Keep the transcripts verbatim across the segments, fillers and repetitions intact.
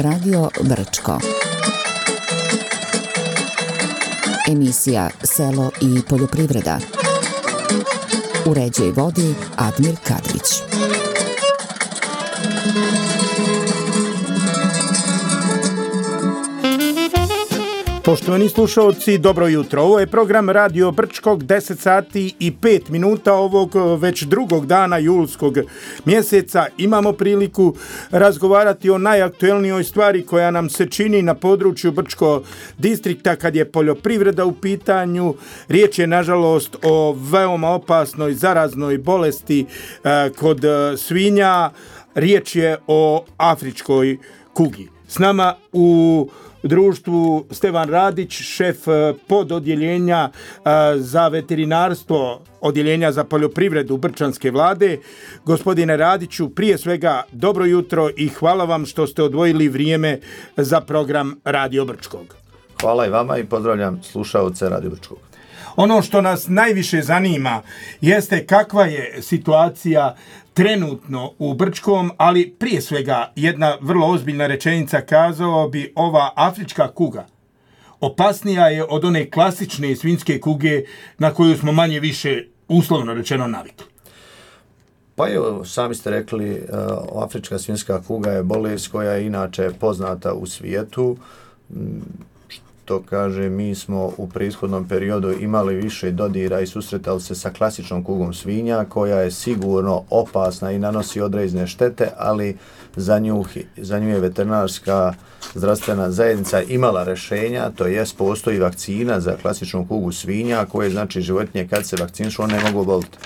Radio Brčko. Emisija Selo i poljoprivreda. Uređuje i vodi Admir Kadrić. Poštovani slušalci, dobro jutro. Ovo je program Radio Brčkog, deset sati i pet minuta ovog već drugog dana julskog mjeseca. Imamo priliku razgovarati o najaktuelnijoj stvari koja nam se čini na području Brčko distrikta kad je poljoprivreda u pitanju. Riječ je nažalost o veoma opasnoj zaraznoj bolesti eh, kod svinja. Riječ je o afričkoj kugi. S nama u društvu Stevan Radić, šef pododjeljenja za veterinarstvo, odjeljenja za poljoprivredu Brčanske vlade. Gospodine Radiću, prije svega dobro jutro i hvala vam što ste odvojili vrijeme za program Radio Brčkog. Hvala i vama i pozdravljam slušaoce Radio Brčkog. Ono što nas najviše zanima jeste kakva je situacija trenutno u Brčkom, ali prije svega jedna vrlo ozbiljna rečenica, kazao bi, ova afrička kuga opasnija je od one klasične svinjske kuge na koju smo manje više uslovno rečeno navikli. Pa evo, sami ste rekli, afrička svinjska kuga je bolest koja je inače poznata u svijetu. To kaže, mi smo u prethodnom periodu imali više dodira i susretali se sa klasičnom kugom svinja koja je sigurno opasna i nanosi određene štete, ali za nju, za nju je veterinarska zdravstvena zajednica imala rješenja, to jest postoji vakcina za klasičnu kugu svinja koje znači životinje kad se vakcinišu one ne mogu oboliti.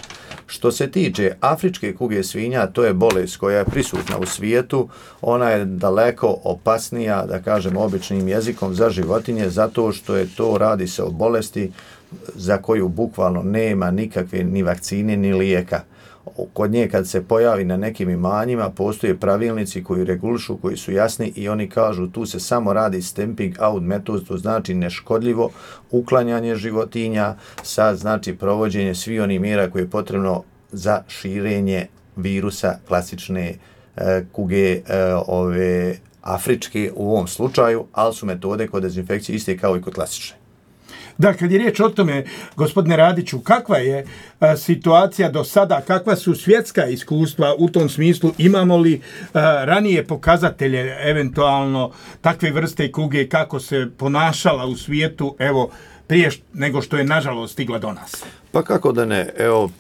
Što se tiče afričke kuge svinja, to je bolest koja je prisutna u svijetu, ona je daleko opasnija, da kažem običnim jezikom, za životinje, zato što je to, radi se o bolesti za koju bukvalno nema nikakve ni vakcine ni lijeka. Kod nje kad se pojavi na nekim imanjima, postoje pravilnici koji regulišu, koji su jasni i oni kažu tu se samo radi stamping out metod, to znači neškodljivo uklanjanje životinja sa znači provođenje svih onih mjera koje je potrebno za širenje virusa klasične e, kuge e, ove afričke u ovom slučaju, ali su metode kod dezinfekcije iste kao i kod klasične. Da, kad je riječ o tome, gospodine Radiću, kakva je a, situacija do sada, kakva su svjetska iskustva u tom smislu, imamo li a, ranije pokazatelje eventualno takve vrste kuge, kako se ponašala u svijetu, evo, prije nego što je nažalost stigla do nas? Pa kako da ne, evo,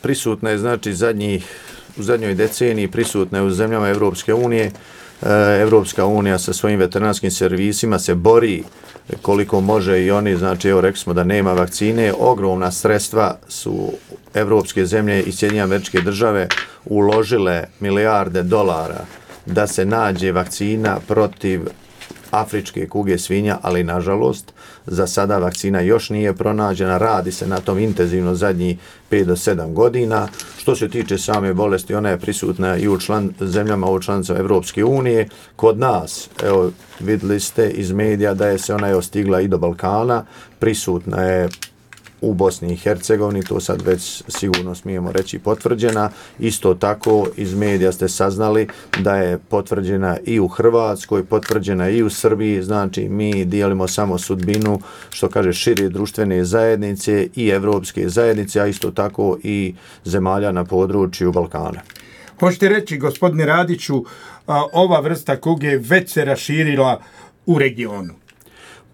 prisutna je znači zadnjih, u zadnjoj deceniji prisutna je u zemljama Evropske unije. Evropska unija sa svojim veterinarskim servisima se bori koliko može i oni, znači evo rekli smo da nema vakcine, ogromna sredstva su evropske zemlje i Sjedinjene Američke Države uložile milijarde dolara da se nađe vakcina protiv afričke kuge svinja, ali nažalost za sada vakcina još nije pronađena, radi se na tom intenzivno zadnjih pet do sedam godina. Što se tiče same bolesti, ona je prisutna i u član, zemljama u članicama Evropske unije. Kod nas, evo vidjeli ste iz medija da je se ona je stigla i do Balkana, prisutna je u Bosni i Hercegovini, to sad već sigurno smijemo reći potvrđena. Isto tako iz medija ste saznali da je potvrđena i u Hrvatskoj, potvrđena i u Srbiji, znači mi dijelimo samo sudbinu, što kaže, šire društvene zajednice i evropske zajednice, a isto tako i zemalja na području Balkana. Hoćete reći, gospodine Radiću, ova vrsta kuge već se raširila u regionu?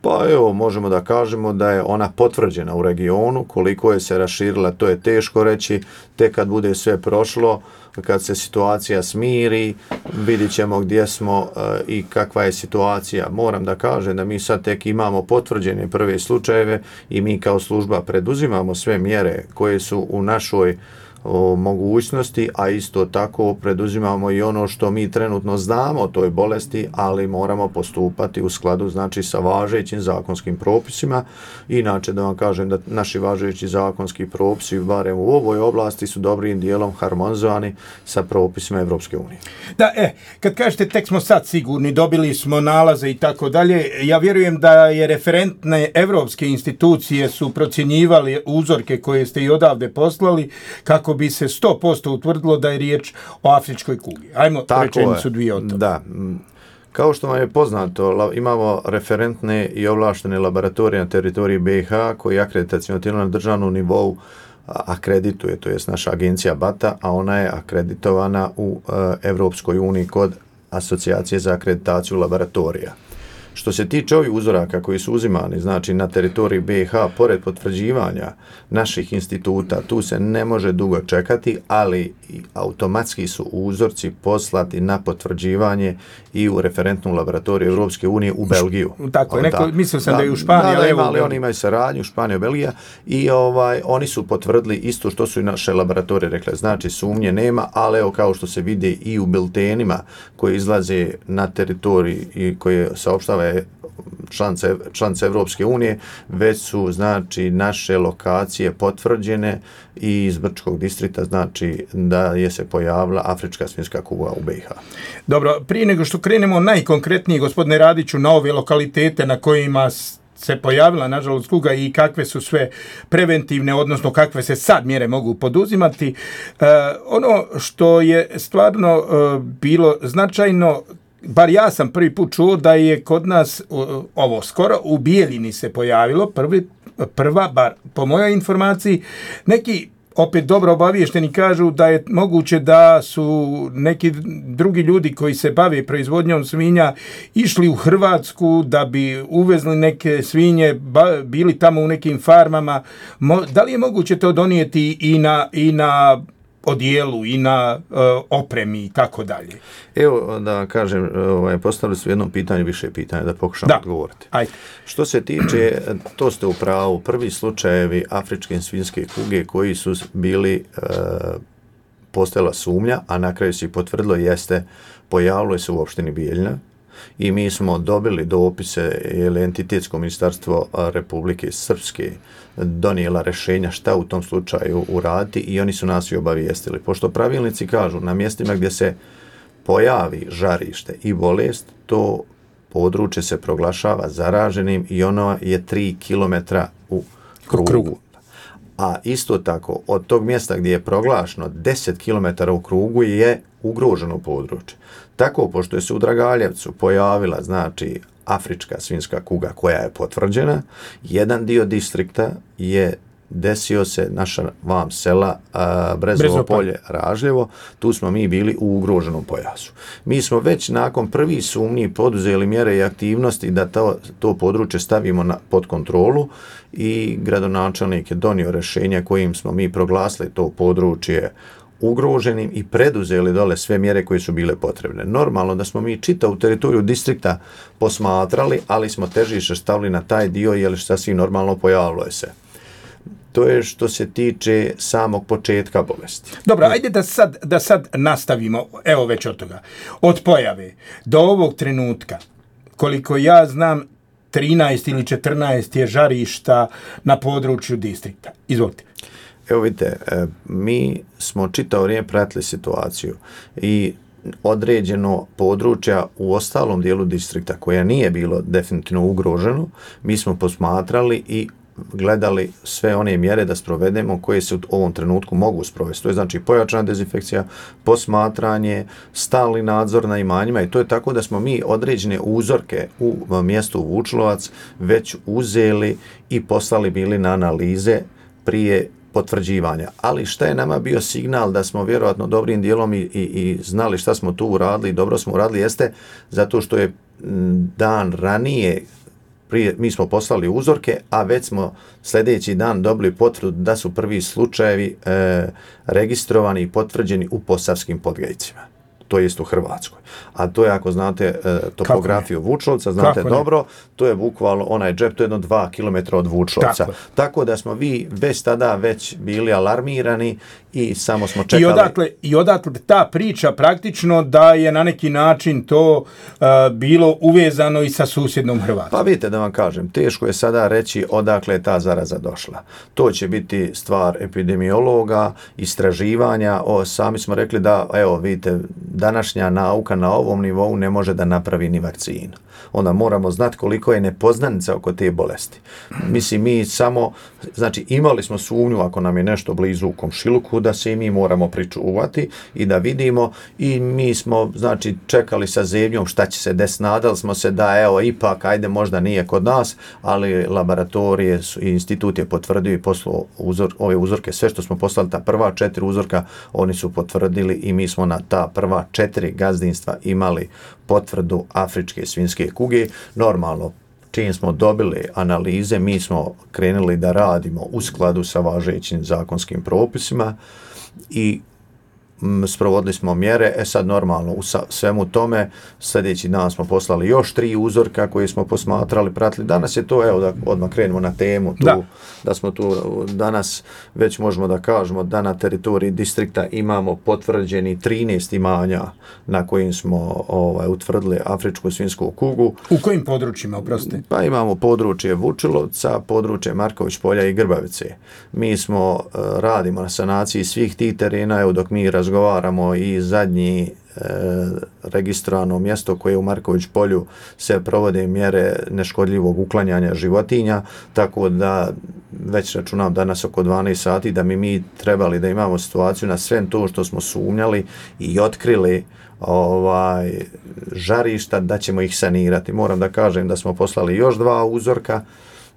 Pa evo, možemo da kažemo da je ona potvrđena u regionu, koliko je se raširila, to je teško reći, tek kad bude sve prošlo, kad se situacija smiri, vidit ćemo gdje smo uh, i kakva je situacija. Moram da kažem da mi sad tek imamo potvrđene prve slučajeve i mi kao služba preduzimamo sve mjere koje su u našoj o mogućnosti, a isto tako preduzimamo i ono što mi trenutno znamo o toj bolesti, ali moramo postupati u skladu znači sa važećim zakonskim propisima. Inače da vam kažem da naši važeći zakonski propisi, barem u ovoj oblasti, su dobrim dijelom harmonizovani sa propisima Evropske unije. Da, e, kad kažete tek smo sad sigurni, dobili smo nalaze i tako dalje, ja vjerujem da je referentne evropske institucije su procjenjivali uzorke koje ste i odavde poslali kako bi se sto posto utvrdilo da je riječ o afričkoj kugi. Ajmo tako rečenicu dvije o tome. Da. Kao što vam je poznato, imamo referentne i ovlaštene laboratorije na teritoriji B i H koji akreditaciono tijelo na državnom nivou akredituje, to je naša agencija B A T A, a ona je akreditovana u Evropskoj uniji kod Asocijacije za akreditaciju laboratorija. Što se tiče ovih uzoraka koji su uzimani, znači na teritoriji B i H, pored potvrđivanja naših instituta, tu se ne može dugo čekati, ali automatski su uzorci poslati na potvrđivanje i u referentnu laboratoriju Evropske unije u Belgiju. Tako je, neko, mislio sam da, da je u Da, Španiji, da, ali oni imaju saradnju, Španija, Belgija, i ovaj, oni su potvrdili isto što su i naše laboratorije rekle. Znači, sumnje nema, ali evo kao što se vidi i u biltenima koji izlaze na teritoriji i koje saopštava članice, članice Evropske unije, već su znači naše lokacije potvrđene i iz Brčkog distrikta, znači da je se pojavila afrička svinjska kuga u B i H. Dobro, prije nego što krenemo najkonkretnije, gospodine Radiću, na ove lokalitete na kojima se pojavila, nažalost, kuga i kakve su sve preventivne, odnosno kakve se sad mjere mogu poduzimati. E, ono što je stvarno e, bilo značajno, bar ja sam prvi put čuo da je kod nas ovo skoro u Bijeljini se pojavilo, prvi, prva, bar po mojoj informaciji, neki opet dobro obavješteni kažu da je moguće da su neki drugi ljudi koji se bave proizvodnjom svinja išli u Hrvatsku da bi uvezli neke svinje, ba, bili tamo u nekim farmama. Mo, da li je moguće to donijeti i na, i na odijelu i na uh, opremi i tako dalje? Evo da vam kažem, ovaj, postavili su jedno pitanje, više pitanja, da pokušam da odgovoriti. Ajde. Što se tiče, to ste u pravu, prvi slučajevi afričke svinjske kuge koji su bili uh, postala sumnja, a na kraju se i potvrdilo, jeste, pojavilo se u opštini Bijeljina i mi smo dobili dopise, jer entitetsko ministarstvo Republike Srpske donijela rješenja šta u tom slučaju uraditi i oni su nas i obavijestili. Pošto pravilnici kažu na mjestima gdje se pojavi žarište i bolest, to područje se proglašava zaraženim i ono je tri kilometra u krugu. krugu. A isto tako, od tog mjesta gdje je proglašeno deset kilometara u krugu je ugroženo područje. Tako, pošto je se u Dragaljevcu pojavila, znači, afrička svinjska kuga koja je potvrđena, jedan dio distrikta je desio se naša vam sela a, Brezovo polje, Ražljevo, tu smo mi bili u ugroženom pojasu. Mi smo već nakon prvi sumnji poduzeli mjere i aktivnosti da to, to područje stavimo na, pod kontrolu i gradonačelnik je donio rješenje kojim smo mi proglasili to područje ugroženim i preduzeli dole sve mjere koje su bile potrebne. Normalno da smo mi čitavu teritoriju distrikta posmatrali, ali smo težište stavili na taj dio jer sasvim normalno pojavilo je se. To je što se tiče samog početka bolesti. Dobro, ajde da sad, da sad nastavimo, evo već od toga. Od pojave do ovog trenutka, koliko ja znam, trinaest ili četrnaest je žarišta na području distrikta. Izvolite. Evo vidite, mi smo čitavo vrijeme pratili situaciju i određeno područja u ostalom dijelu distrikta koja nije bilo definitivno ugroženo, mi smo posmatrali i gledali sve one mjere da sprovedemo koje se u ovom trenutku mogu sprovesti. To je znači pojačana dezinfekcija, posmatranje, stalni nadzor na imanjima i to je tako da smo mi određene uzorke u mjestu Vučlovac već uzeli i poslali bili na analize prije potvrđivanja. Ali šta je nama bio signal da smo vjerojatno dobrim dijelom i, i, i znali šta smo tu uradili i dobro smo uradili jeste zato što je dan ranije prije, mi smo poslali uzorke, a već smo sljedeći dan dobili potvrdu da su prvi slučajevi e, registrovani i potvrđeni u Posavskim Podgajcima. To jest u Hrvatskoj. A to je, ako znate e, topografiju Vučlovca, znate Kako dobro, ne? To je bukvalno onaj džep, to je jedno dva kilometra od Vučlovca. Tako. Tako da smo vi već tada već bili alarmirani i samo smo čekali. I odatle, i odatle ta priča praktično da je na neki način to uh, bilo uvezano i sa susjednom Hrvatskom. Pa vidite da vam kažem, teško je sada reći odakle je ta zaraza došla. To će biti stvar epidemiologa, istraživanja. O, sami smo rekli da, evo vidite, današnja nauka na ovom nivou ne može da napravi ni vakcinu. Onda moramo znati koliko je nepoznanica oko te bolesti. Mislim, mi samo, znači imali smo sumnju ako nam je nešto blizu u komšiluku da se i mi moramo pričuvati i da vidimo i mi smo, znači, čekali sa zebnjom šta će se desiti, nadali smo se da evo ipak, ajde možda nije kod nas, ali laboratorije i institut je potvrdio i poslao uzor, ove uzorke, sve što smo poslali, ta prva četiri uzorka, oni su potvrdili i mi smo na ta prva četiri gazdinstva imali potvrdu afričke svinjske kuge. Normalno, čim smo dobili analize, mi smo krenuli da radimo u skladu sa važećim zakonskim propisima i m, sprovodili smo mjere. E sad normalno u sa, svemu tome sljedeći dan smo poslali još tri uzorka koje smo posmatrali, pratili. Danas je to, evo da odmah krenemo na temu tu, da. da smo tu danas već možemo da kažemo da na teritoriji distrikta imamo potvrđeni trinaest imanja na kojim smo ovaj, utvrdili afričku svinjsku kugu. U kojim područjima, oprostite? Pa imamo područje Vučilovca, područje Marković polja i Grbavice. Mi smo uh, radimo na sanaciji svih tih terena, evo dok mi razgovaramo i zadnji e, registrovano mjesto koje u Marković polju se provode mjere neškodljivog uklanjanja životinja, tako da već računam danas oko dvanaest sati da mi mi trebali da imamo situaciju na sve to što smo sumnjali i otkrili ovaj žarišta da ćemo ih sanirati. Moram da kažem da smo poslali još dva uzorka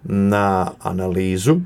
na analizu,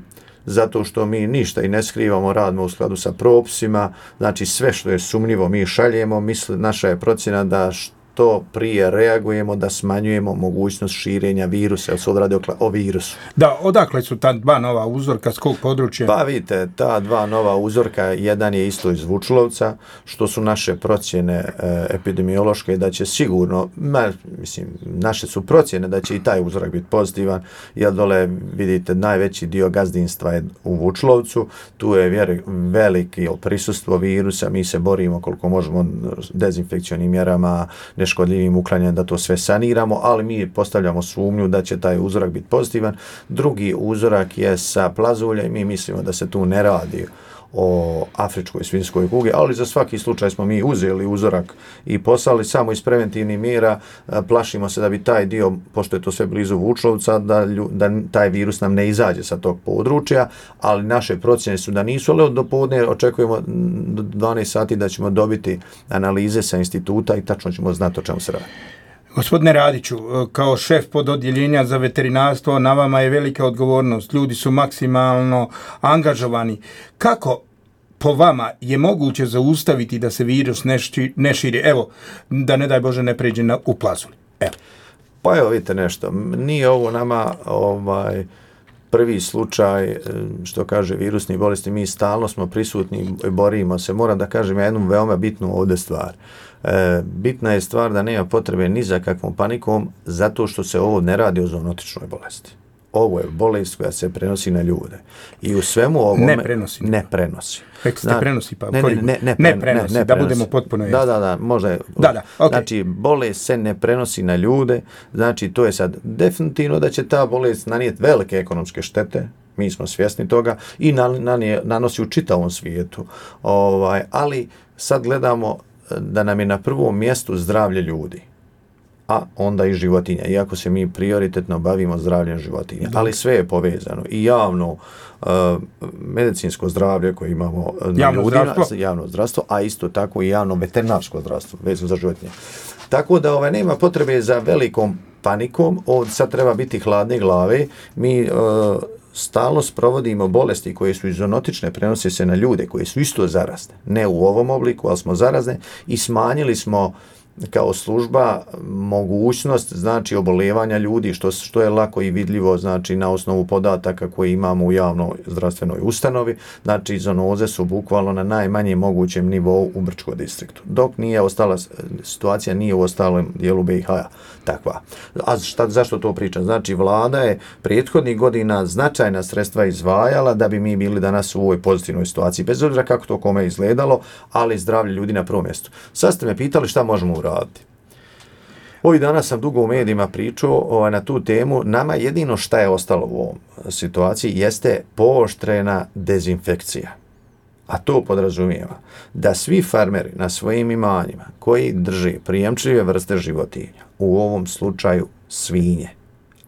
zato što mi ništa i ne skrivamo, radimo u skladu sa propisima, znači sve što je sumnjivo mi šaljemo, misli, naša je procjena da što prije reagujemo, da smanjujemo mogućnost širenja virusa, jer se odradi o virusu. Da, odakle su ta dva nova uzorka, s kog područja? Pa vidite, ta dva nova uzorka, jedan je isto iz Vučilovca, što su naše procjene e, epidemiološke, da će sigurno, ma, mislim, naše su procjene da će i taj uzorak biti pozitivan, jer dole vidite najveći dio gazdinstva je u Vučilovcu, tu je vjer, veliki prisustvo virusa, mi se borimo koliko možemo dezinfekcionim mjerama, neškodljivim uklanjanjem da to sve saniramo, ali mi postavljamo sumnju da će taj uzorak biti pozitivan. Drugi uzorak je sa plazulja i mi mislimo da se tu ne radi o afričkoj svinjskoj kugi, ali za svaki slučaj smo mi uzeli uzorak i poslali samo iz preventivnih mjera. Plašimo se da bi taj dio, pošto je to sve blizu Vučilovca, da, da taj virus nam ne izađe sa tog područja, ali naše procjene su da nisu, ali do podne očekujemo do dvanaest sati da ćemo dobiti analize sa instituta i tačno ćemo znati o čemu se radi. Gospodine Radiću, kao šef pododjeljenja za veterinarstvo, na vama je velika odgovornost. Ljudi su maksimalno angažovani. Kako po vama je moguće zaustaviti da se virus ne, ši, ne širi? Evo, da ne daj Bože ne pređe na, u plazuli. Evo. Pa evo vidite nešto. Nije ovo nama ovaj, prvi slučaj, što kaže, virusnih bolesti. Mi stalno smo prisutni i borimo se. Moram da kažem jednu veoma bitnu ovdje stvar. E, bitna je stvar da nema potrebe ni za kakvom panikom, zato što se ovo ne radi o zoonotičnoj bolesti. Ovo je bolest koja se prenosi na ljude. I u svemu ovome ne prenosi. Ne prenosi. Rekli ste prenosi, pa ne, ne, ne, ne, ne prenosi, ne, ne da prenosi. budemo potpuno jasni. Da, da, da, možda je. Da, da, okay. Znači, bolest se ne prenosi na ljude, znači to je sad definitivno da će ta bolest nanijeti velike ekonomske štete, mi smo svjesni toga, i nanosi u čitavom svijetu. Ovaj, ali sad gledamo da nam je na prvom mjestu zdravlje ljudi, a onda i životinja, iako se mi prioritetno bavimo zdravljem životinja. Dok. Ali sve je povezano. I javno uh, medicinsko zdravlje koje imamo na javno ljudima, zdravstvo. javno zdravstvo, a isto tako i javno veterinarsko zdravstvo, vezano za životinje. Tako da ovaj, nema potrebe za velikom panikom, ovdje sad treba biti hladne glave. Mi uh, stalno sprovodimo bolesti koje su zoonotične, prenose se na ljude koje su isto zarazne. Ne u ovom obliku, ali smo zarazne i smanjili smo kao služba mogućnost, znači, oboljevanja ljudi, što, što je lako i vidljivo, znači, na osnovu podataka koje imamo u javnoj zdravstvenoj ustanovi. Znači, zoonoze su bukvalno na najmanjem mogućem nivou u Brčkom distriktu. Dok nije ostala, situacija nije u ostalom dijelu B i H-a takva. A šta, zašto to pričam? Znači, vlada je prethodnih godina značajna sredstva izdvajala da bi mi bili danas u ovoj pozitivnoj situaciji, bez obzira kako to kome izgledalo, ali zdravlje ljudi na prvom mjestu. Sad ste me pitali šta možemo uraditi. Ovih dana sam dugo u medijima pričao ovaj, na tu temu. Nama jedino šta je ostalo u ovom situaciji jeste pooštrena dezinfekcija. a to podrazumijeva da svi farmeri na svojim imanjima koji drže prijemčive vrste životinja, u ovom slučaju svinje,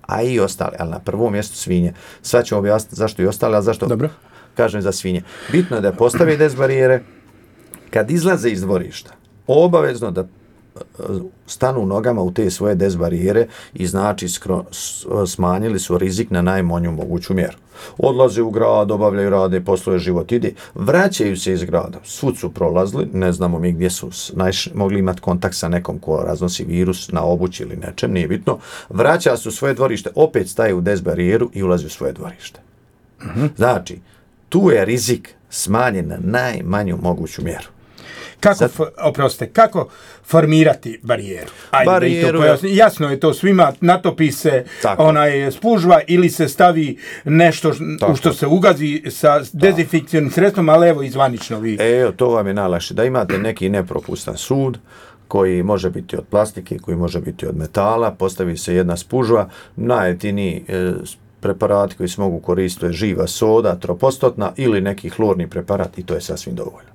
a i ostale, ali na prvom mjestu svinje. Sad ću objasniti zašto i ostale, ali zašto Dobro. kažem za svinje. Bitno je da postave des barijere, kad izlaze iz dvorišta, obavezno da stanu nogama u te svoje des barijere i znači skro, smanjili su rizik na najmanju moguću mjeru. Odlaze u grad, obavljaju rade, posluje život ide, vraćaju se iz grada, svud su prolazili, ne znamo mi gdje su najš, mogli imati kontakt sa nekom ko raznosi virus na obući ili nečem, nije bitno, vraća se u svoje dvorište, opet staje u des barijeru i ulazi u svoje dvorište. Mm-hmm. Znači, tu je rizik smanjen na najmanju moguću mjeru. Kako, Sad, oprostite, kako formirati barijeru? Ajde, barijeru da i to jasno je to svima, natopi se tako. onaj spužva ili se stavi nešto u što se ugazi sa dezinfekcijnim sredstvom, ali evo izvanično vi. Evo, to vam je najlakše. Da imate neki nepropustan sud koji može biti od plastike, koji može biti od metala, postavi se jedna spužva, najjeftiniji e, preparati koji se mogu koristiti je živa soda, tropostotna ili neki hlorni preparat i to je sasvim dovoljno.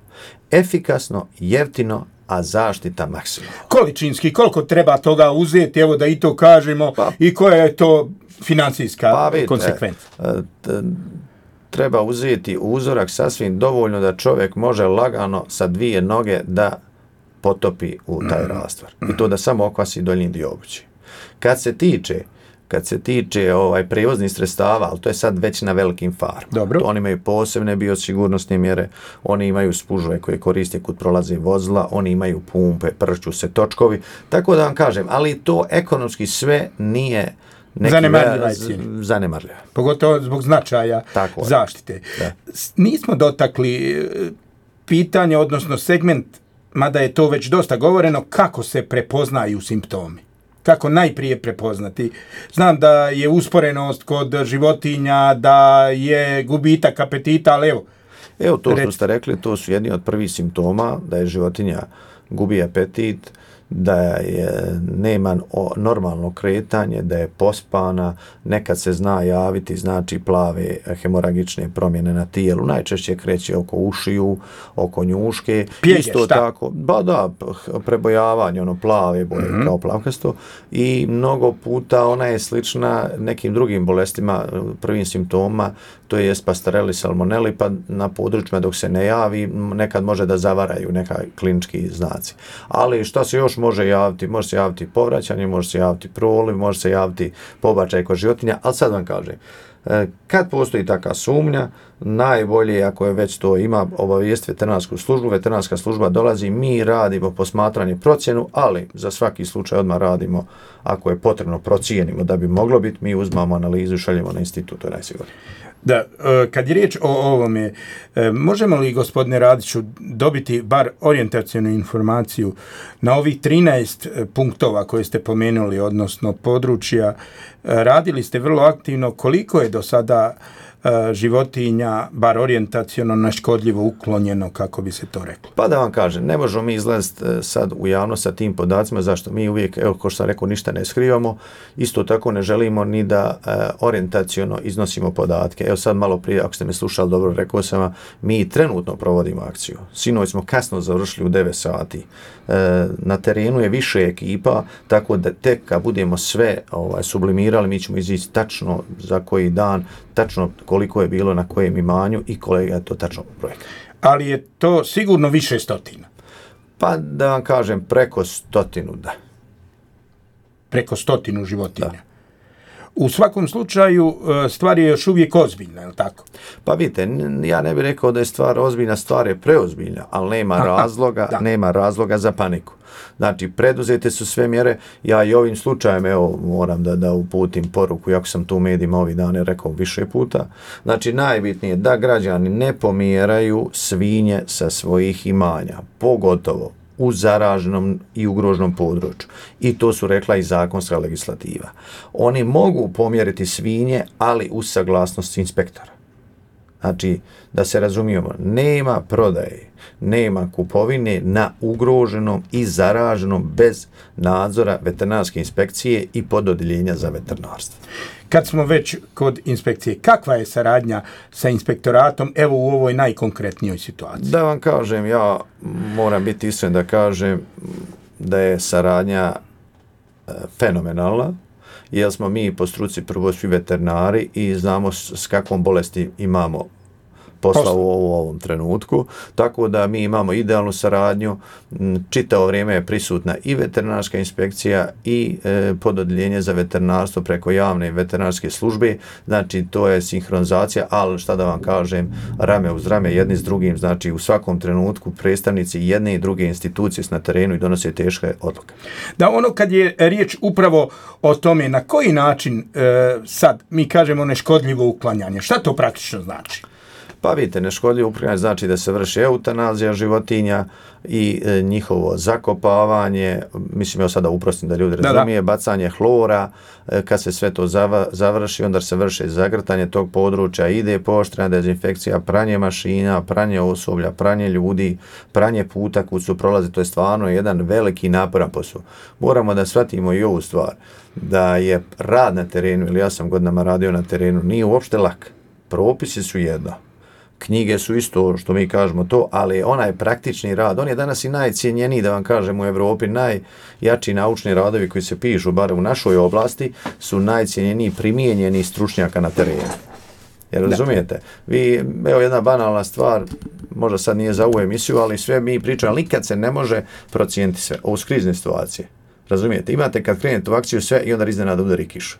Efikasno, jeftino, a zaštita maksimalna. Količinski, koliko treba toga uzeti, evo da i to kažemo, pa, i koja je to financijska pa, vidite, konsekvenca? Treba uzeti uzorak sasvim dovoljno da čovjek može lagano sa dvije noge da potopi u taj rastvar. I to da samo okvasi donji dio obući. Kad se tiče Kad se tiče ovaj prevoznih sredstava, ali to je sad već na velikim farmama. Dobro. Oni imaju posebne biosigurnosne mjere, oni imaju spužve koje koriste kod prolaze vozila, oni imaju pumpe, pršću se točkovi. Tako da vam kažem, ali to ekonomski sve nije neki zanemarljiva ve- zanemarljiva. Pogotovo zbog značaja tako zaštite. Da. Nismo dotakli pitanje, odnosno segment, mada je to već dosta govoreno, kako se prepoznaju simptomi. Kako najprije prepoznati. Znam da je usporenost kod životinja, da je gubitak apetita, ali evo. Evo to što Reci. ste rekli, to su jedni od prvih simptoma, da je životinja gubi apetit, da je nema normalno kretanje, da je pospana, nekad se zna javiti, znači plave hemoragične promjene na tijelu, najčešće kreće oko ušiju, oko njuške, Pjege, isto šta? tako, ba da, prebojavanje, ono plave boje, mm-hmm. kao plavkasto, i mnogo puta ona je slična nekim drugim bolestima, prvim simptoma, to je pastoreli, salmoneli, pa na područjima dok se ne javi, nekad može da zavaraju neka klinički znaci. Ali šta se još može javiti? Može se javiti povraćanje, može se javiti proliv, može se javiti pobačaj kod životinja, ali sad vam kažem, kad postoji taka sumnja, najbolje ako je već to ima obavijest veterinarsku službu, veterinarska služba dolazi, mi radimo posmatranje procjenu, ali za svaki slučaj odmah radimo, ako je potrebno procijenimo da bi moglo biti, mi uzmamo analizu i šaljemo na institut, to je najsigurnije. Da, kad je riječ o ovome, možemo li, gospodine Radiću, dobiti bar orijentacijnu informaciju na ovih trinaest punktova koje ste pomenuli, odnosno područja, radili ste vrlo aktivno, koliko je do sada životinja, bar orijentaciono, neškodljivo uklonjeno, kako bi se to reklo? Pa da vam kažem, ne možemo mi izlaziti sad u javnost sa tim podacima, zašto mi uvijek, evo ko što sam rekao, ništa ne skrivamo, isto tako ne želimo ni da e, orijentaciono iznosimo podatke. Evo sad malo prije, ako ste me slušali dobro, rekao sam vam, mi trenutno provodimo akciju. Sinoć smo kasno završili u devet sati. E, na terenu je više ekipa, tako da tek kad budemo sve ovaj, sublimirali, mi ćemo izići tačno za koji dan, tačno koliko je bilo na kojem imanju i kolega je to tačno projekt. Ali je to sigurno više stotina. Pa da vam kažem, preko stotinu, da. Preko stotinu životinja. Da. U svakom slučaju stvar je još uvijek ozbiljna, je li tako? Pa vidite, ja ne bih rekao da je stvar ozbiljna, stvar je preozbiljna, ali nema Aha, razloga, da. nema razloga za paniku. Znači, preduzete su sve mjere, ja i ovim slučajem, evo, moram da, da uputim poruku, jako sam tu u medijima ovih dana rekao više puta, znači, najbitnije je da građani ne pomjeraju svinje sa svojih imanja, pogotovo u zaraženom i ugroženom području. I to su rekla i zakonska legislativa. Oni mogu pomjeriti svinje, ali uz saglasnost inspektora. Znači, da se razumijemo, nema prodaje, nema kupovine na ugroženom i zaraženom bez nadzora veterinarske inspekcije i pododjeljenja za veterinarstvo. Kad smo već kod inspekcije, kakva je saradnja sa inspektoratom, evo u ovoj najkonkretnijoj situaciji? Da vam kažem, ja moram biti iskren da kažem da je saradnja e, fenomenalna, jer smo mi po struci prvo svi veterinari i znamo s, s kakvom bolesti imamo posla u ovom trenutku, tako da mi imamo idealnu saradnju, čitavo vrijeme je prisutna i veterinarska inspekcija i e, pododjeljenje za veterinarstvo preko javne veterinarske službe, znači to je sinhronizacija, ali šta da vam kažem, rame uz rame jedni s drugim, znači u svakom trenutku predstavnici jedne i druge institucije su na terenu i donose teške odluke. Da, ono kad je riječ upravo o tome na koji način e, sad mi kažemo neškodljivo uklanjanje, šta to praktično znači? Pa vidite, neškodljivo uklanjanje znači da se vrši eutanazija životinja i e, njihovo zakopavanje, mislim ja sada uprostim da ljudi razumije, bacanje hlora, e, kad se sve to zava, završi, onda se vrši zagrtanje tog područja, ide pooštrena dezinfekcija, pranje mašina, pranje osoblja, pranje ljudi, pranje puta kud su prolaze, to je stvarno jedan veliki naporan posao. Moramo da shvatimo i ovu stvar, da je rad na terenu, ili ja sam godinama radio na terenu, nije uopšte lak. Propisi su jedno. Knjige su isto što mi kažemo to, ali onaj praktični rad, on je danas i najcijenjeniji, da vam kažem, u Evropi, najjači naučni radovi koji se pišu, bar u našoj oblasti, su najcijenjeniji primijenjeni stručnjaka na terenu. Jer razumijete? Vi, evo jedna banalna stvar, možda sad nije za ovu emisiju, ali sve mi pričamo, ali nikad se ne može procijeniti sve. Ovo su krizne situacije. Razumijete? Imate kad krenete u akciju sve i onda iznenada udari kiša.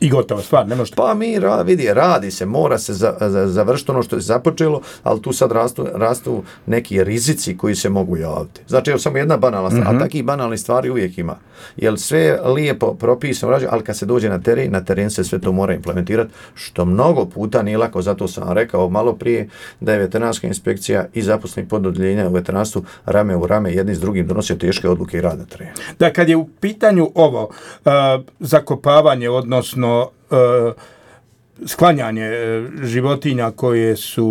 I gotovo, stvar, ne možete. Pa mi, ra, vidi, radi se, mora se za, za, završiti ono što je započelo, ali tu sad rastu, rastu neki rizici koji se mogu javiti. Znači, evo samo jedna banalna stvar, mm-hmm. a takih banalnih stvari uvijek ima. Jer sve je lijepo propisano, ali kad se dođe na teren, na teren se sve to mora implementirati, što mnogo puta nije lako, zato sam rekao malo prije da je veterinarska inspekcija i zaposleni pododjeljenja u veterinarstvu rame u rame, jedni s drugim donosio teške odluke i rad na terenu. Da, kad je u pitanju ovo, uh, zakopavanje, odnosno Uh, sklanjanje uh, životinja koje su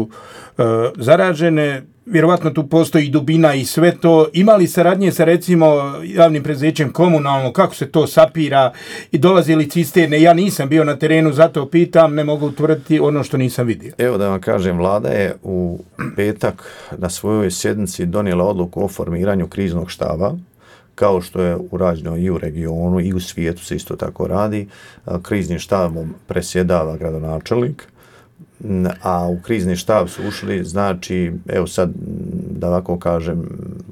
uh, zaražene, vjerovatno tu postoji dubina i sve to. Imali saradnje sa recimo javnim preduzećem komunalno, kako se to sapira i dolazi li cisterne? Ja nisam bio na terenu, zato pitam, ne mogu utvrditi ono što nisam vidio. Evo da vam kažem, vlada je u petak na svojoj sjednici donijela odluku o formiranju kriznog štaba, kao što je urađeno i u regionu i u svijetu se isto tako radi. Kriznim štabom presjedava gradonačelnik, a u krizni štab su ušli, znači, evo sad da ovako kažem,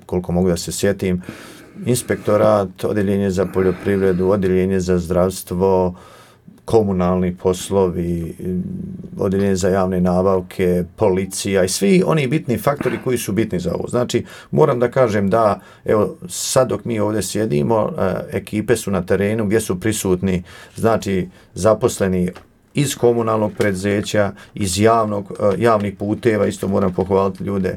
koliko mogu da se sjetim, inspektorat, odjeljenje za poljoprivredu, odjeljenje za zdravstvo, komunalni poslovi, odjeljenje za javne nabavke, policija i svi oni bitni faktori koji su bitni za ovo. Znači, moram da kažem da, evo, sad dok mi ovdje sjedimo, ekipe su na terenu gdje su prisutni, znači, zaposleni iz komunalnog preduzeća, iz javnog, javnih puteva, isto moram pohvaliti ljude,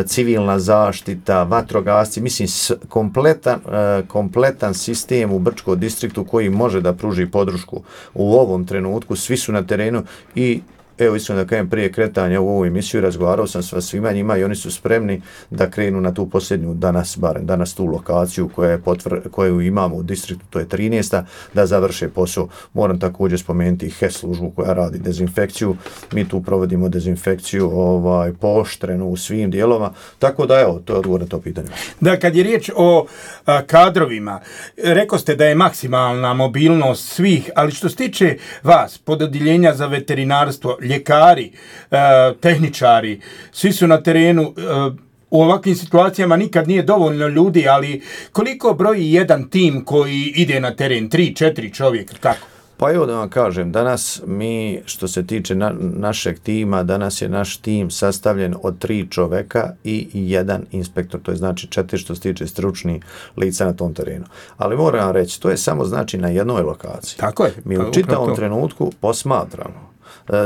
civilna zaštita, vatrogasci, mislim kompletan, kompletan sistem u Brčkom distriktu koji može da pruži podršku u ovom trenutku, svi su na terenu i evo iskreno da kažem, prije kretanja u ovu emisiju razgovarao sam sa svima njima i oni su spremni da krenu na tu posljednju danas, barem danas tu lokaciju koja je potvr, koju imamo u distriktu, to je trinaesta, da završe posao. Moram također spomenuti H E S službu koja radi dezinfekciju. Mi tu provodimo dezinfekciju ovaj, pooštrenu u svim dijelovima, tako da evo, to je odgovor na to pitanje. Da, kad je riječ o a, kadrovima, rekao ste da je maksimalna mobilnost svih, ali što se tiče vas, pododjeljenja za veterinarstvo, ljekari, eh, tehničari, svi su na terenu. Eh, u ovakvim situacijama nikad nije dovoljno ljudi, ali koliko broji jedan tim koji ide na teren? Tri, četiri čovjeka, kako? Pa evo da vam kažem, danas mi, što se tiče na, našeg tima, danas je naš tim sastavljen od tri čoveka i jedan inspektor, to je znači četiri što se tiče stručnih lica na tom terenu. Ali moram vam reći, to je samo znači na jednoj lokaciji. Tako je. Mi u čitavom trenutku posmatramo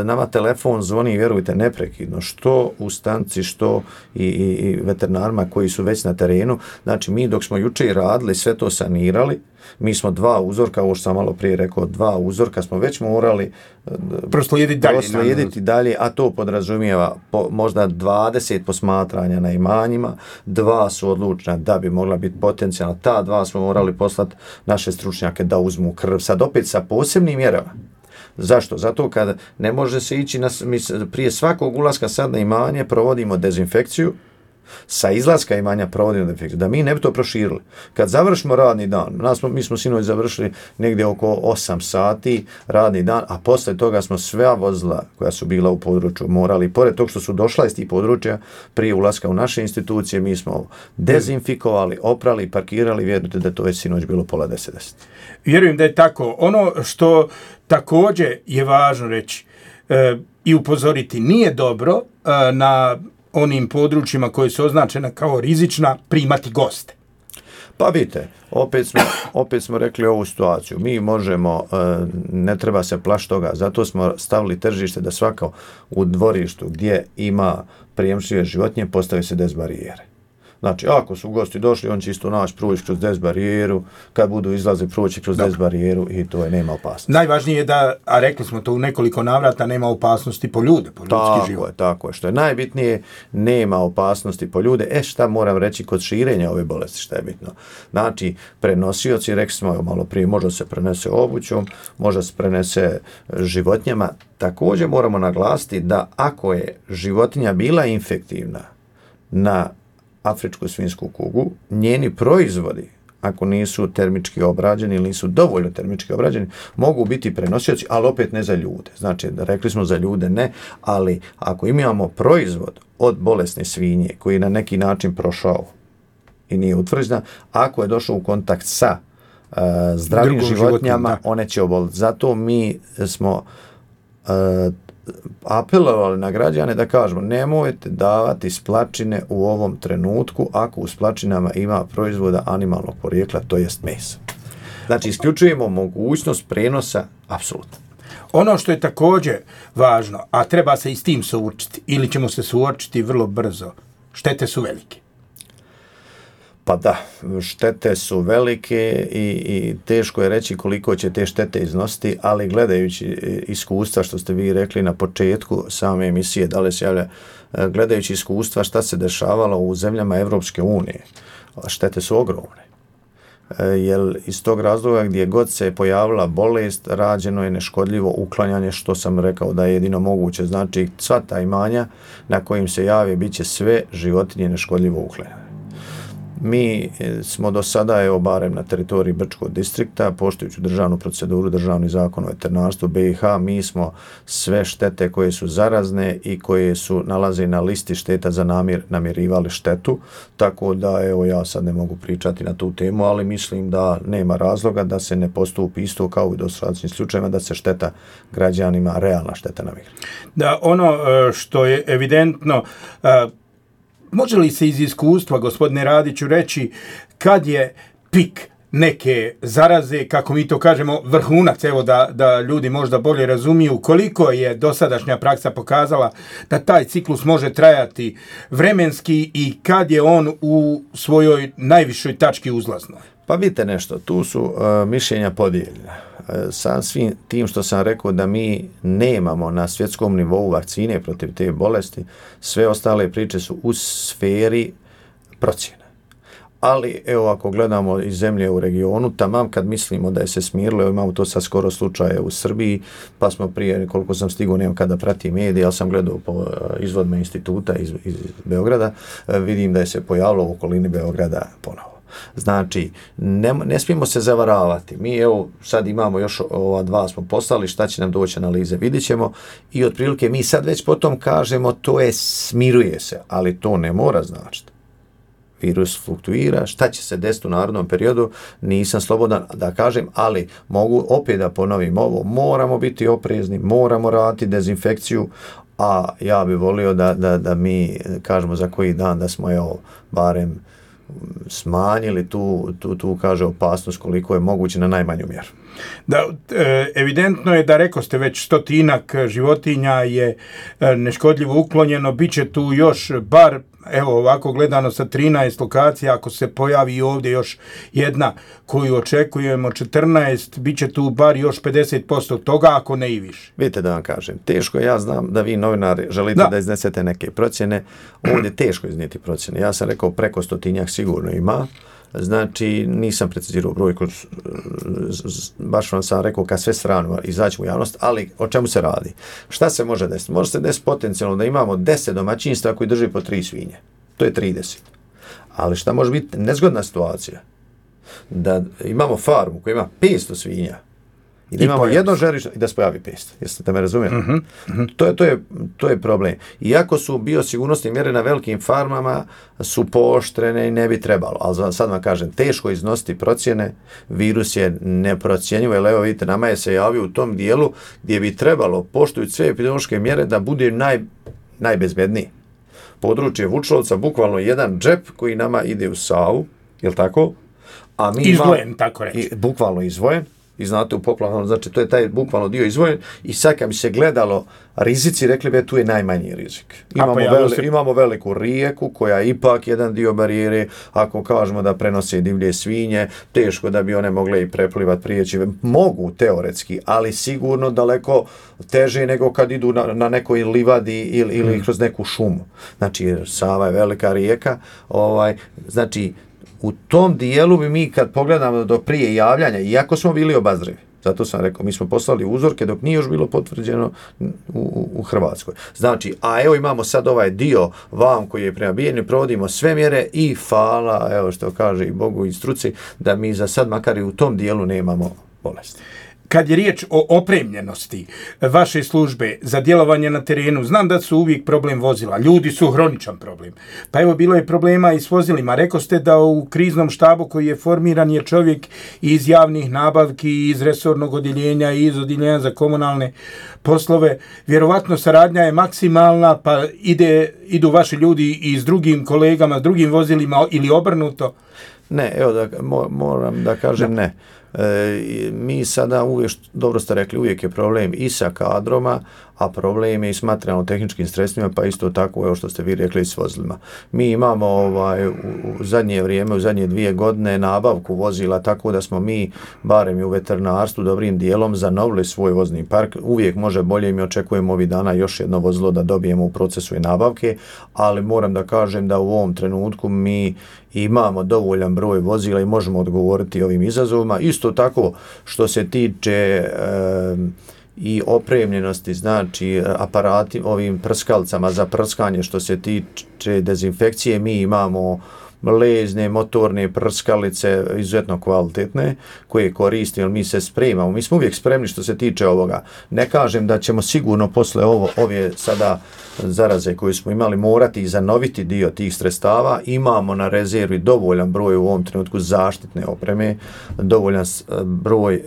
Nama telefon zvoni, vjerujte, neprekidno, što u stanci, što i, i, i veterinarima koji su već na terenu. Znači, mi dok smo juče radili, sve to sanirali, mi smo dva uzorka, ovo što sam malo prije rekao, dva uzorka smo već morali proslijediti dalje, proslijediti dalje, a to podrazumijeva po, možda dvadeset posmatranja na imanjima, dva su odlučna da bi mogla biti potencijalna, ta dva smo morali poslati naše stručnjake da uzmu krv, sad opet sa posebnim mjerama. Zašto? Zato kada ne može se ići, na, mi prije svakog ulaska sad na imanje provodimo dezinfekciju, sa izlaska imanja provodimo dezinfekciju, da mi ne bi to proširili. Kad završimo radni dan, nas, mi smo sinoć završili negdje oko osam sati radni dan, a posle toga smo sve vozila koja su bila u području morali, pored tog što su došla iz tih područja, prije ulaska u naše institucije, mi smo dezinfikovali, oprali, parkirali, vjerujte da je to već sinoć bilo pola deset deset. Vjerujem da je tako. Ono što također je važno reći e, i upozoriti, nije dobro e, na onim područjima koje su označena kao rizična primati goste. Pa vidite, opet smo, opet smo rekli ovu situaciju. Mi možemo, ne treba se plašiti toga, zato smo stavili tržište da svako u dvorištu gdje ima prijemčive životinje postavi se dezbarijere. Znači, ako su gosti došli, on će isto naći proći kroz dezbarijeru, kad budu izlazi proći kroz dezbarijeru i to je, nema opasnosti. Najvažnije je da, a rekli smo to u nekoliko navrata, nema opasnosti po ljude, po ljudski tako život. Tako je, tako je. Što je najbitnije, nema opasnosti po ljude. E, šta moram reći kod širenja ove bolesti, šta je bitno? Znači, prenosioci, rekli smo malo prije, možda se prenese obućom, možda se prenese životinjama. Također moramo naglasiti da ako je životinja bila infektivna na afričku svinjsku kugu, njeni proizvodi, ako nisu termički obrađeni ili nisu dovoljno termički obrađeni, mogu biti prenosioci, ali opet ne za ljude. Znači, rekli smo za ljude ne, ali ako imamo proizvod od bolesne svinje koji je na neki način prošao i nije utvrđena, ako je došao u kontakt sa uh, zdravim Drugom životinjama, životinju, one će oboliti. Zato mi smo uh, apelovali na građane da kažemo nemojte davati splačine u ovom trenutku ako u splačinama ima proizvoda animalnog porijekla, to jest mesa. Znači, isključujemo mogućnost prenosa, apsolutno. Ono što je također važno, a treba se i s tim suočiti, ili ćemo se suočiti vrlo brzo, štete su velike. Pa da, štete su velike i, i teško je reći koliko će te štete iznositi, ali gledajući iskustva, što ste vi rekli na početku same emisije, da li se javlja, gledajući iskustva šta se dešavalo u zemljama Evropske unije, štete su ogromne. Jer iz tog razloga gdje god se pojavila bolest, rađeno je neškodljivo uklanjanje, što sam rekao da je jedino moguće. Znači, sva ta imanja na kojim se javi bit će sve životinje neškodljivo uklanjane. Mi smo do sada, evo barem na teritoriji Brčkog distrikta, poštujući državnu proceduru, državni zakon o veterinarstvu B i H, mi smo sve štete koje su zarazne i koje su nalaze na listi šteta za namjer, namjerivali štetu, tako da evo ja sad ne mogu pričati na tu temu, ali mislim da nema razloga da se ne postupi isto kao i do sadašnjih slučajeva, da se šteta građanima, realna šteta namjeri. Da, ono što je evidentno, može li se iz iskustva, gospodine Radiću, reći kad je pik neke zaraze, kako mi to kažemo, vrhunac, evo da, da ljudi možda bolje razumiju, koliko je dosadašnja praksa pokazala da taj ciklus može trajati vremenski i kad je on u svojoj najvišoj tački uzlaznoj? Pa vidite nešto, tu su uh, mišljenja podijeljena. Uh, sa svim tim što sam rekao da mi nemamo na svjetskom nivou vakcine protiv te bolesti, sve ostale priče su u sferi procjene. Ali, evo, ako gledamo iz zemlje u regionu, tamam kad mislimo da je se smirilo, evo, imamo to sad skoro slučaje u Srbiji, pa smo prije, koliko sam stigao, nemam kada pratim medije, ali sam gledao po izvodima instituta iz, iz Beograda, uh, vidim da je se pojavilo u okolini Beograda ponovo. Znači, ne, ne smijemo se zavaravati. Mi, evo, sad imamo još ova dva smo poslali, šta će nam doći analize, vidit ćemo i otprilike mi sad već potom kažemo to je, smiruje se, ali to ne mora značiti. Virus fluktuira, šta će se desiti u narodnom periodu, nisam slobodan da kažem, ali mogu opet da ponovim ovo, moramo biti oprezni, moramo raditi dezinfekciju, a ja bih volio da, da, da mi kažemo za koji dan da smo, evo, barem smanjili tu, tu, tu kaže opasnost koliko je moguće na najmanju mjeru. Da, evidentno je da reko ste već stotinak životinja je neškodljivo uklonjeno, bit će tu još bar, evo ovako gledano sa trinaest lokacija, ako se pojavi ovdje još jedna koju očekujemo četrnaest, bit će tu bar još pedeset posto toga, ako ne i više. Vidite da vam kažem, teško, ja znam da vi novinari želite da, da iznesete neke procjene, ovdje je teško iznijeti procjene. Ja sam rekao preko stotinjak sigurno ima, znači nisam precizirao brojku, baš vam sam rekao kad sve strano izaći u javnost, ali o čemu se radi? Šta se može desiti? Može se desiti potencijalno da imamo deset domaćinstva koji drži po tri svinje. To je trideset. Ali šta može biti nezgodna situacija? Da imamo farmu koja ima petsto svinja i da imamo jedno žarište i da se pojavi petsto. Jeste da me razumijete? Uh-huh, uh-huh. To je, to je, to je problem. Iako su biosigurnosne mjere na velikim farmama su pooštrene i ne bi trebalo. Ali sad vam kažem, teško iznositi procjene, virus je neprocjenjivo, jer evo vidite, nama je se javio u tom dijelu gdje bi trebalo, poštujući sve epidemiološke mjere, da bude naj, najbezbedniji. Područje Vučlovca, bukvalno jedan džep koji nama ide u Savu, je li tako? A mi izvojen, ima, tako reći. I, bukvalno izvojen. I znate u poplavnom, znači to je taj bukvalno dio izvojen i sad kad bi se gledalo rizici, rekli bi tu je najmanji rizik. Imamo, veli, se... imamo veliku rijeku koja je ipak jedan dio barijere, ako kažemo da prenose divlje svinje, teško da bi one mogle i preplivati prijeći. Mogu teoretski, ali sigurno daleko teže nego kad idu na, na nekoj livadi ili, ili hmm. kroz neku šumu. Znači Sava je velika rijeka, ovaj, znači u tom dijelu bi mi kad pogledamo do prije javljanja, iako smo bili obazrivi, zato sam rekao, mi smo poslali uzorke dok nije još bilo potvrđeno u, u, u Hrvatskoj. Znači, a evo imamo sad ovaj dio vam koji je prema bijenju, provodimo sve mjere i hvala, evo što kaže i Bogu i struci, da mi za sad makar i u tom dijelu nemamo bolesti. Kad je riječ o opremljenosti vaše službe za djelovanje na terenu, znam da su uvijek problem vozila. Ljudi su hroničan problem. Pa evo, bilo je problema i s vozilima. Rekao ste da u kriznom štabu koji je formiran je čovjek iz javnih nabavki, iz resornog odjeljenja i iz odjeljenja za komunalne poslove. Vjerovatno saradnja je maksimalna, pa ide, idu vaši ljudi i s drugim kolegama, s drugim vozilima ili obrnuto? Ne, evo da moram da kažem da. ne. E, mi sada uvijek, dobro ste rekli, uvijek je problem i sa kadroma, a problem je i s materijalno-tehničkim sredstvima, pa isto tako, evo što ste vi rekli, i s vozilima. Mi imamo ovaj, u, u zadnje vrijeme, u zadnje dvije godine nabavku vozila, tako da smo mi, barem i u veterinarstvu, dobrim dijelom zanovili svoj vozni park. Uvijek može bolje, mi očekujemo ovih dana još jedno vozilo da dobijemo u procesu i nabavke, ali moram da kažem da u ovom trenutku mi imamo dovoljan broj vozila i možemo odgovoriti ovim izazovima. Isto tako što se tiče e, i opremljenosti, znači aparati ovim prskalcama za prskanje, što se tiče dezinfekcije, mi imamo lezne, motorne prskalice izuzetno kvalitetne koje koristimo, jer mi se spremamo. Mi smo uvijek spremni što se tiče ovoga. Ne kažem da ćemo sigurno posle ovo, ove sada zaraze koje smo imali morati i zanoviti dio tih sredstava. Imamo na rezervi dovoljan broj u ovom trenutku zaštitne opreme, dovoljan broj e,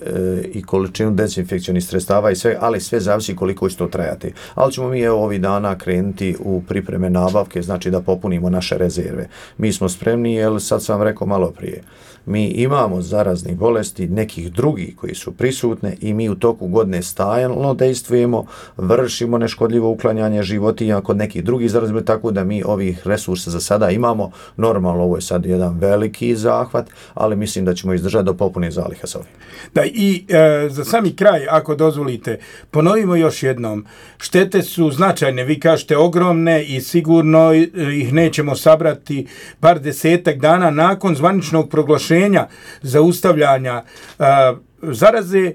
i količinu dezinfekcionih sredstava i sve, ali sve zavisi koliko će to trajati. Ali ćemo mi evo ovih dana krenuti u pripreme nabavke, znači da popunimo naše rezerve. Mi smo spremni, jer sad sam vam rekao malo prije, mi imamo zaraznih bolesti nekih drugih koji su prisutne i mi u toku godine stalno dejstvujemo, vršimo neškodljivo uklanjanje životinja kod nekih drugih zaraznih bolesti, tako da mi ovih resursa za sada imamo. Normalno, ovo je sad jedan veliki zahvat, ali mislim da ćemo izdržati do popune zaliha sa ovim. Da, i e, za sami kraj, ako dozvolite, ponovimo još jednom, štete su značajne, vi kažete ogromne i sigurno ih nećemo sabrati bar desetak dana nakon zvaničnog proglašenja zaustavljanja a, zaraze.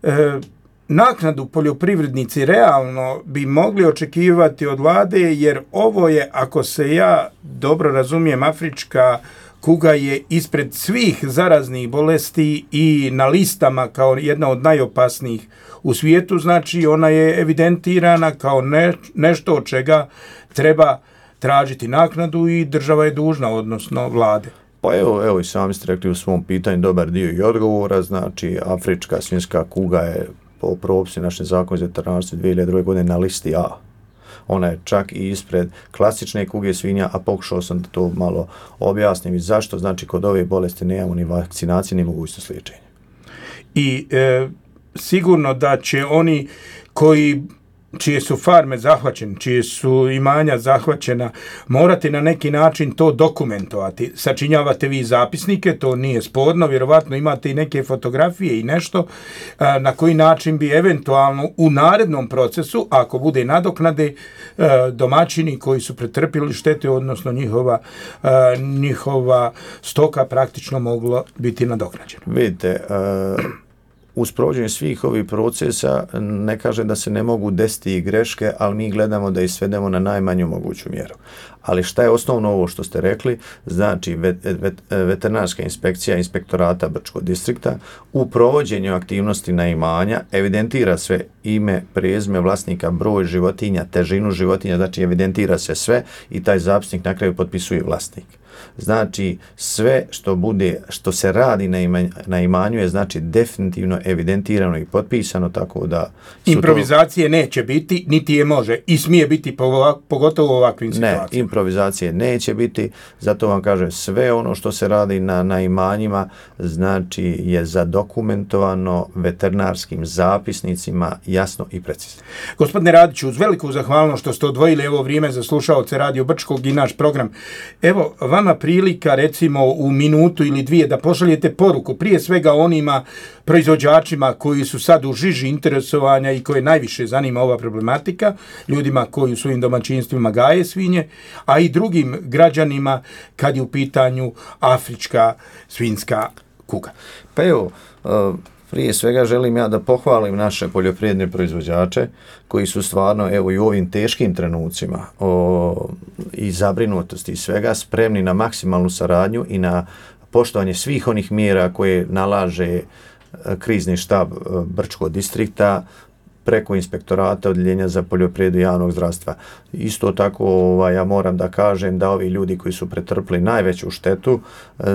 A, naknadu poljoprivrednici realno bi mogli očekivati od vlade, jer ovo je, ako se ja dobro razumijem, afrička kuga je ispred svih zaraznih bolesti i na listama kao jedna od najopasnijih u svijetu, znači ona je evidentirana kao ne, nešto od čega treba tražiti naknadu i država je dužna, odnosno vlade. Pa evo, evo i sami ste rekli u svom pitanju dobar dio i odgovora, znači afrička svinjska kuga je po propisima našeg zakona za veterinarstvo dvije hiljade druge godine na listi A. Ona je čak i ispred klasične kuge svinja, a pokušao sam da to malo objasnim i zašto. Znači, kod ove bolesti nemamo ni vakcinacije, ni mogućnost liječenja. I e, sigurno da će oni koji čije su farme zahvaćene, čije su imanja zahvaćena, morate na neki način to dokumentovati. Sačinjavate vi zapisnike, to nije sporno, vjerovatno imate i neke fotografije i nešto na koji način bi eventualno u narednom procesu, ako bude nadoknade, domaćini koji su pretrpili štete, odnosno njihova, njihova stoka praktično moglo biti nadoknađena. Vidite, uh... uz provođenje svih ovih procesa ne kažem da se ne mogu desiti i greške, ali mi gledamo da ih svedemo na najmanju moguću mjeru. Ali šta je osnovno ovo što ste rekli? Znači, vet, vet, veterinarska inspekcija inspektorata Brčkog distrikta u provođenju aktivnosti na imanja evidentira sve ime, prezime vlasnika, broj životinja, težinu životinja, znači evidentira se sve i taj zapisnik na kraju potpisuje vlasnik. Znači, sve što bude, što se radi na, imanj, na imanju je znači definitivno evidentirano i potpisano, tako da... Improvizacije to... neće biti, niti je može i smije biti pogotovo u ovakvim situacijama. Ne, improvizacije neće biti, zato vam kažem, sve ono što se radi na, na imanjima, znači je zadokumentovano veterinarskim zapisnicima jasno i precizno. Gospodine Radiću, uz veliku zahvalnost što ste odvojili ovo vrijeme za slušaoce Radio Brčkog i naš program. Evo, vama prilika, recimo, u minutu ili dvije da pošaljete poruku, prije svega onima proizvođačima koji su sad u žiži interesovanja i koje najviše zanima ova problematika, ljudima koji u svojim domaćinstvima gaje svinje, a i drugim građanima kad je u pitanju afrička svinjska kuga. Pa evo, prije svega želim ja da pohvalim naše poljoprivredne proizvođače koji su stvarno evo i u ovim teškim trenucima o, i zabrinutosti i svega spremni na maksimalnu saradnju i na poštovanje svih onih mjera koje nalaže krizni štab Brčkog distrikta preko inspektorata odjeljenja za poljoprivredu javnog zdravstva. Isto tako ovaj, ja moram da kažem da ovi ljudi koji su pretrpli najveću štetu,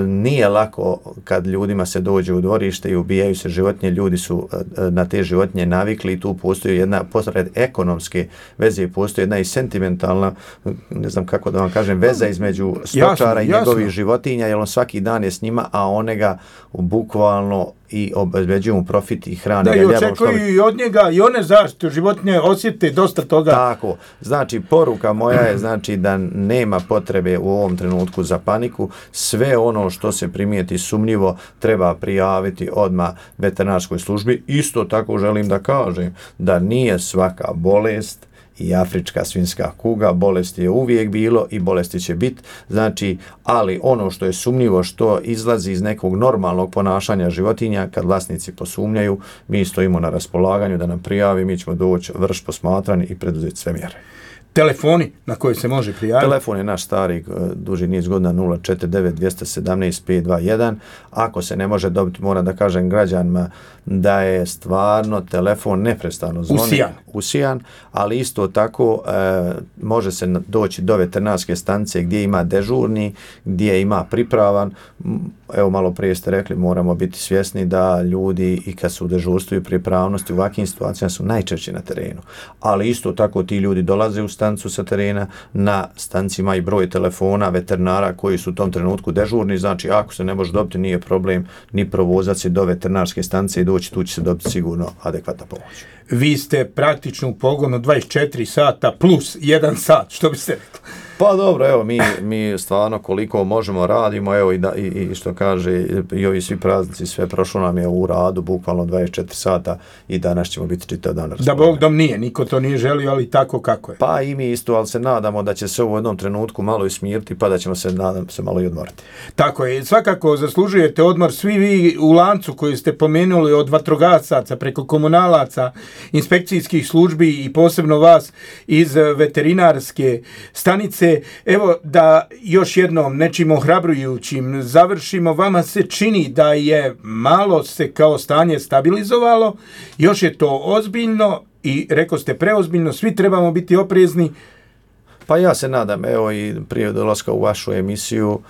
nije lako kad ljudima se dođe u dvorište i ubijaju se životinje, ljudi su na te životinje navikli i tu postoji jedna, pored ekonomske veze, postoji jedna i sentimentalna, ne znam kako da vam kažem, veza između stočara jasno, i njegovih jasno. životinja, jer on svaki dan je s njima, a one ga bukvalno i obezbeđuju mu profit i hrane. Da, i očekuju i od njega i one zaštitu životinje osjete dosta toga. Tako, znači poruka moja je znači da nema potrebe u ovom trenutku za paniku, sve ono što se primijeti sumnjivo treba prijaviti odmah veterinarskoj službi. Isto tako želim da kažem da nije svaka bolest i afrička svinjska kuga, bolesti je uvijek bilo i bolesti će biti, znači, ali ono što je sumnjivo, što izlazi iz nekog normalnog ponašanja životinja, kad vlasnici posumnjaju, mi stojimo na raspolaganju da nam prijavi, mi ćemo doći vrš posmatranje i preduzeti sve mjere. Telefoni na koje se može prijaviti? Telefon je naš stari duži niz godina nula četiri devet dva jedan sedam pet dva jedan. Ako se ne može dobiti, moram da kažem građanima da je stvarno telefon neprestano zvoni. Usijan. Usijan, ali isto tako e, može se doći do veterinarske stanice gdje ima dežurni, gdje ima pripravan. Evo malo prije ste rekli, moramo biti svjesni da ljudi i kad su u dežurstvu i pripravnosti u ovakvim situacijama su najčešće na terenu. Ali isto tako ti ljudi dolaze u stanicu sa terena, na stanicima i broj telefona veterinara koji su u tom trenutku dežurni, znači ako se ne može dobiti nije problem ni provozati se do veterinarske stanice i doći, tu će se dobiti sigurno adekvatna pomoć. Vi ste praktično u pogonu dvadeset četiri sata plus jedan sat, što biste rekli? Pa dobro, evo, mi, mi stvarno koliko možemo radimo, evo i, da, i, i što kaže, i ovi svi praznici, sve prošlo nam je u radu, bukvalno dvadeset četiri sata i danas ćemo biti čitav dan. Da Bog dom nije, niko to nije želio, ali tako kako je. Pa i mi isto, ali se nadamo da će se u jednom trenutku malo i smiriti, pa da ćemo se, nadam se, malo i odmoriti. Tako je, svakako zaslužujete odmor, svi vi u lancu koji ste pomenuli od vatrogasaca preko komunalaca, inspekcijskih službi i posebno vas iz veterinarske stanice. Evo da još jednom nečim ohrabrujućim završimo, vama se čini da je malo se kao stanje stabilizovalo, još je to ozbiljno i rekao ste preozbiljno, svi trebamo biti oprezni. Pa ja se nadam, evo i prije dolaska u vašu emisiju,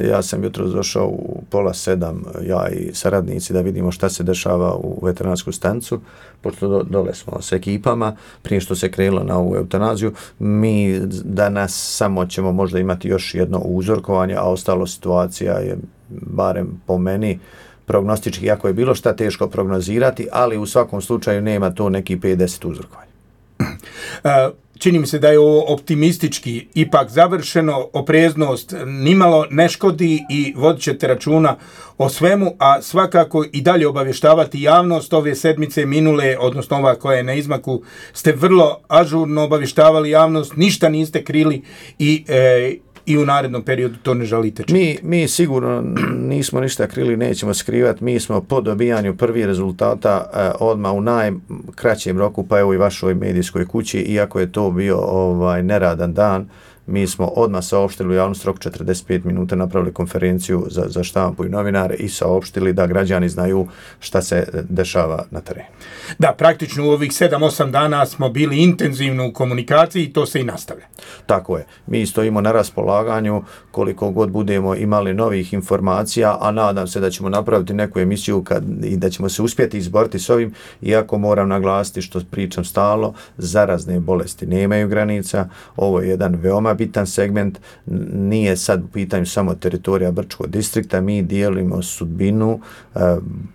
Ja sam jutro došao u pola sedam, ja i saradnici, da vidimo šta se dešava u veterinarsku stanicu, pošto do, dole smo s ekipama, prije što se krenulo na ovu eutanaziju. Mi danas samo ćemo možda imati još jedno uzorkovanje, a ostalo situacija je, barem po meni, prognostički, jako je bilo šta teško prognozirati, ali u svakom slučaju nema to neki pedeset uzorkovanja. Čini mi se da je ovo optimistički ipak završeno, opreznost nimalo ne škodi i vodit ćete računa o svemu, a svakako i dalje obavještavati javnost. Ove sedmice minule, odnosno ova koja je na izmaku, ste vrlo ažurno obavještavali javnost, ništa niste krili i e, i u narednom periodu to ne želite činiti. Mi, mi sigurno nismo ništa krili, nećemo skrivati. Mi smo po dobijanju prvih rezultata eh, odmah u najkraćem roku, pa evo i vašoj medijskoj kući, iako je to bio ovaj neradan dan, mi smo odmah saopštili u javnost rok četrdeset pet minuta, napravili konferenciju za, za štampu i novinare i saopštili da građani znaju šta se dešava na terenu. Da, praktično u ovih sedam osam dana smo bili intenzivno u komunikaciji i to se i nastavlja. Tako je. Mi stojimo na raspolaganju koliko god budemo imali novih informacija, a nadam se da ćemo napraviti neku emisiju kad, i da ćemo se uspjeti izboriti s ovim, iako moram naglasiti što pričam stalno, zarazne bolesti nemaju granica. Ovo je jedan veoma bitan segment, nije sad u pitanju samo teritorija Brčkog distrikta, mi dijelimo sudbinu e,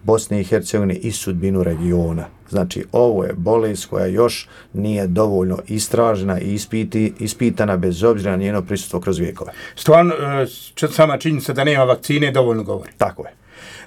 Bosne i Hercegovine i sudbinu regiona. Znači, ovo je bolest koja još nije dovoljno istražena i ispiti, ispitana bez obzira na njeno prisustvo kroz vijekove. Stvarno, e, sama činjenica da nema vakcine dovoljno govori. Tako je.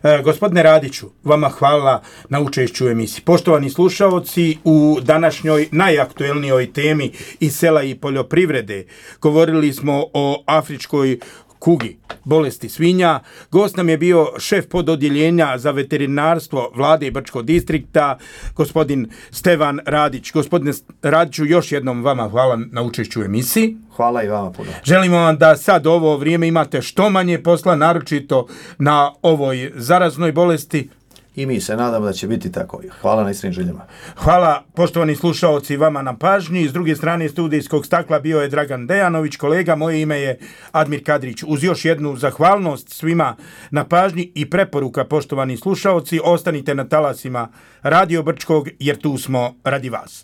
E, gospodine Radiću, vama hvala na učešću u emisiji. Poštovani slušaoci, u današnjoj najaktuelnijoj temi iz sela i poljoprivrede govorili smo o afričkoj kugi, bolesti svinja. Gost nam je bio šef pododjeljenja za veterinarstvo Vlade Brčkog distrikta, gospodin Stevan Radić. Gospodine Radiću, još jednom vama hvala na učešću u emisiji. Hvala i vama puno. Želimo vam da sad ovo vrijeme imate što manje posla, naročito na ovoj zaraznoj bolesti. I mi se nadamo da će biti tako. Hvala na iskrenim željama. Hvala poštovani slušaoci vama na pažnji. S druge strane studijskog stakla bio je Dragan Dejanović, kolega, moje ime je Admir Kadrić. Uz još jednu zahvalnost svima na pažnji i preporuka, poštovani slušaoci, ostanite na talasima Radio Brčkog jer tu smo radi vas.